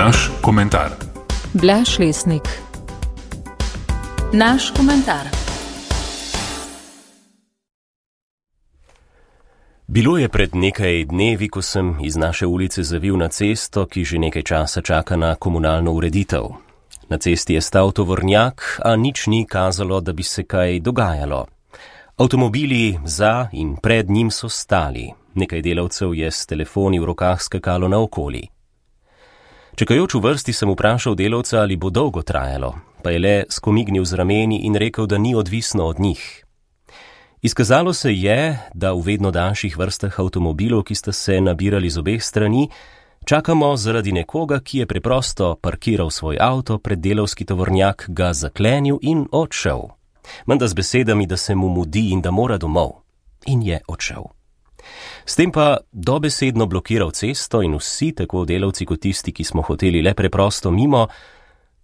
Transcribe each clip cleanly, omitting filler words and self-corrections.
Naš komentar. Blaž Lesnik. Naš komentar. Bilo je pred nekaj dnevi, ko sem iz naše ulice zavil na cesto, ki že nekaj časa čaka na komunalno ureditev. Na cesti je stal tovornjak, a nič ni kazalo, da bi se kaj dogajalo. Avtomobili za in pred njim so stali. Nekaj delavcev je s telefoni v rokah skakalo naokoli. Čakajoč v vrsti sem vprašal delavca, ali bo dolgo trajalo, pa je le skomignil z rameni in rekel, da ni odvisno od njih. Izkazalo se je, da v vedno daljših vrstah avtomobilov, ki sta se nabirali z obeh strani, čakamo zaradi nekoga, ki je preprosto parkiral svoj avto pred delavski tovornjak, ga zaklenil in odšel. Menda z besedami, da se mu mudi in da mora domov. In je odšel. S tem pa dobesedno blokiral cesto in vsi, tako delavci kot tisti, ki smo hoteli le preprosto mimo,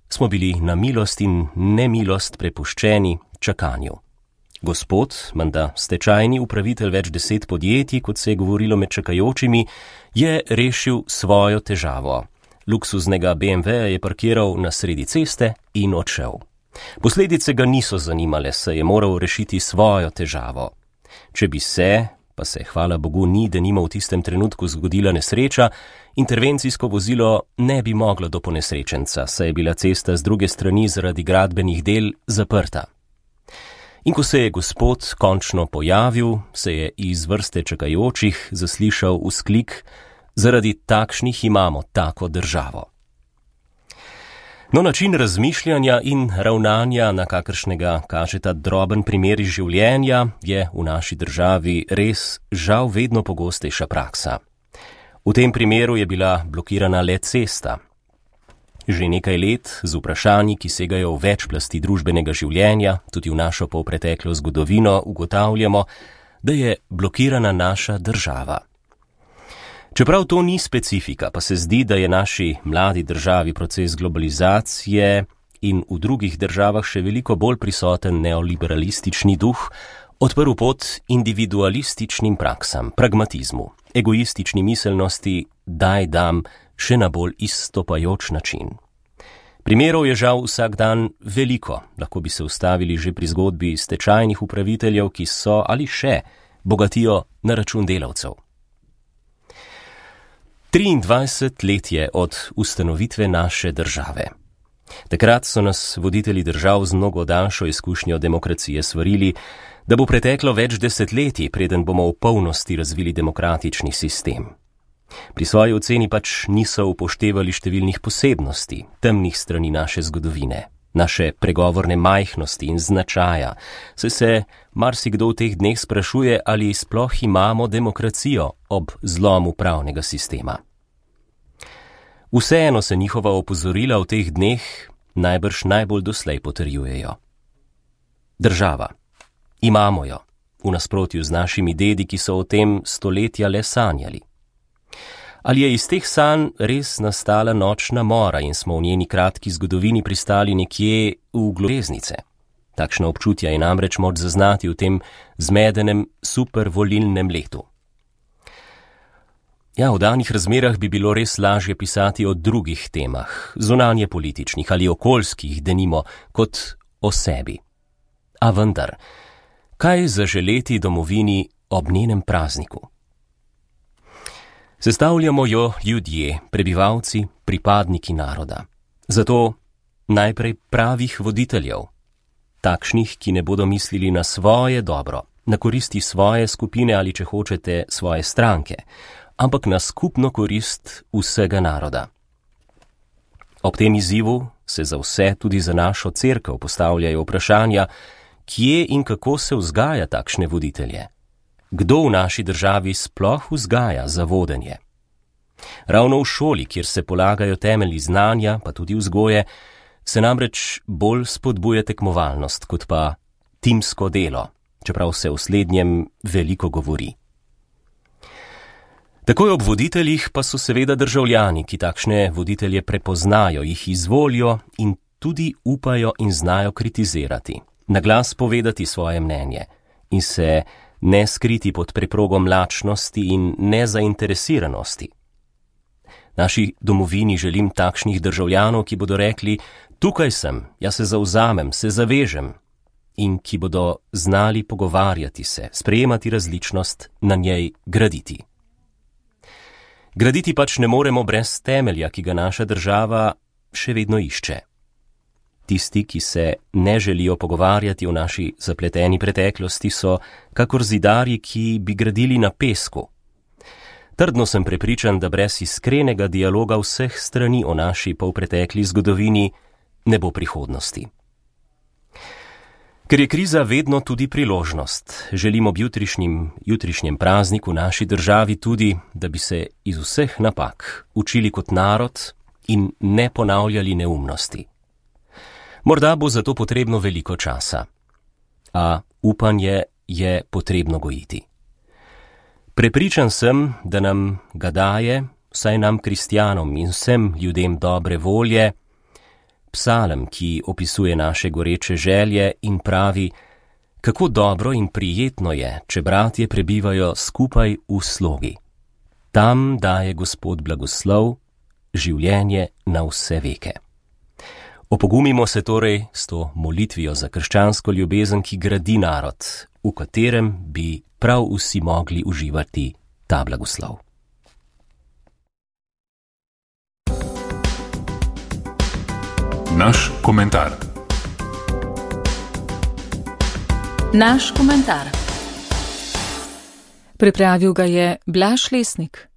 smo bili na milost in nemilost prepuščeni čakanju. Gospod, menda stečajni upravitelj več 10 podjetij, kot se je govorilo med čakajočimi, je rešil svojo težavo. Luksuznega BMW je parkiral na sredi ceste in odšel. Posledice ga niso zanimale, saj je moral rešiti svojo težavo. Če bi se, pa se hvala Bogu ni, denimo v tistem trenutku zgodila nesreča, intervencijsko vozilo ne bi moglo do ponesrečenca, saj je bila cesta z druge strani zaradi gradbenih del zaprta. In ko se je gospod končno pojavil, se je iz vrste čakajočih zaslišal vzklik: zaradi takšnih imamo tako državo. No, način razmišljanja in ravnanja, na kakršnega kaže ta droben primer iz življenja, je v naši državi res žal vedno pogostejša praksa. V tem primeru je bila blokirana le cesta. Že nekaj let z vprašanji, ki segajo v več plasti družbenega življenja, tudi v našo polpreteklo zgodovino, ugotavljamo, da je blokirana naša država. Čeprav to ni specifika, pa se zdi, da je naši mladi državi proces globalizacije in v drugih državah še veliko bolj prisoten neoliberalistični duh odprl pot individualističnim praksam, pragmatizmu, egoistični miselnosti, daj dam, še na bolj izstopajoč način. Primerov je žal vsak dan veliko, lahko bi se ustavili že pri zgodbi stečajnih upraviteljev, ki so ali še bogatijo na račun delavcev. 23 let je od ustanovitve naše države. Takrat so nas voditelji držav z mnogo daljšo izkušnjo demokracije svarili, da bo preteklo več desetletij, preden bomo v polnosti razvili demokratični sistem. Pri svoji oceni pač niso upoštevali številnih posebnosti, temnih strani naše zgodovine, naše pregovorne majhnosti in značaja, saj se marsikdo v teh dneh sprašuje, ali sploh imamo demokracijo ob zlomu pravnega sistema. Vseeno se njihova opozorila v teh dneh najbrž najbolj doslej potrjujejo. Država. Imamo jo, v nasprotju z našimi dedi, ki so o tem stoletja le sanjali. Ali je iz teh sanj res nastala nočna mora in smo v njeni kratki zgodovini pristali nekje v globeznice? Takšno občutja je namreč moč zaznati v tem zmedenem supervolilnem letu. Ja, v danih razmerah bi bilo res lažje pisati o drugih temah, zunanje političnih ali okoljskih, denimo, kot o sebi. A vendar, kaj zaželeti domovini ob njenem prazniku? Sestavljamo jo ljudje, prebivalci, pripadniki naroda. Zato najprej pravih voditeljev, takšnih, ki ne bodo mislili na svoje dobro, na koristi svoje skupine ali, če hočete, svoje stranke, ampak na skupno korist vsega naroda. Ob tem izzivu se za vse, tudi za našo cerkev, postavljajo vprašanja, kje in kako se vzgaja takšne voditelje. Kdo v naši državi sploh vzgaja za vodenje? Ravno v šoli, kjer se polagajo temelji znanja, pa tudi vzgoje, se namreč bolj spodbuja tekmovalnost, kot pa timsko delo, čeprav se o slednjem veliko govori. Takoj ob voditeljih pa so seveda državljani, ki takšne voditelje prepoznajo, jih izvolijo in tudi upajo in znajo kritizirati, na glas povedati svoje mnenje in se ne skriti pod preprogo mlačnosti in nezainteresiranosti. Naši domovini želim takšnih državljanov, ki bodo rekli: tukaj sem, jaz se zavzamem, se zavežem, in ki bodo znali pogovarjati se, sprejemati različnost, na njej graditi. Graditi pač ne moremo brez temelja, ki ga naša država še vedno išče. Tisti, ki se ne želijo pogovarjati o naši zapleteni preteklosti, so kakor zidarji, ki bi gradili na pesku. Trdno sem prepričan, da brez iskrenega dialoga vseh strani o naši polpretekli zgodovini ne bo prihodnosti. Ker je kriza vedno tudi priložnost, želim ob jutrišnjem prazniku naši državi tudi, da bi se iz vseh napak učili kot narod in ne ponavljali neumnosti. Morda bo zato potrebno veliko časa, a upanje je potrebno gojiti. Prepričan sem, da nam ga daje, vsaj nam kristjanom in vsem ljudem dobre volje, psalem, ki opisuje naše goreče želje in pravi, kako dobro in prijetno je, če bratje prebivajo skupaj v slogi. Tam daje Gospod blagoslov, življenje na vse veke. Opogumimo se torej s to molitvijo za krščansko ljubezen, ki gradi narod, v katerem bi prav vsi mogli uživati ta blagoslov. Naš komentar. Naš komentar. Pripravil ga je Blaž Lesnik.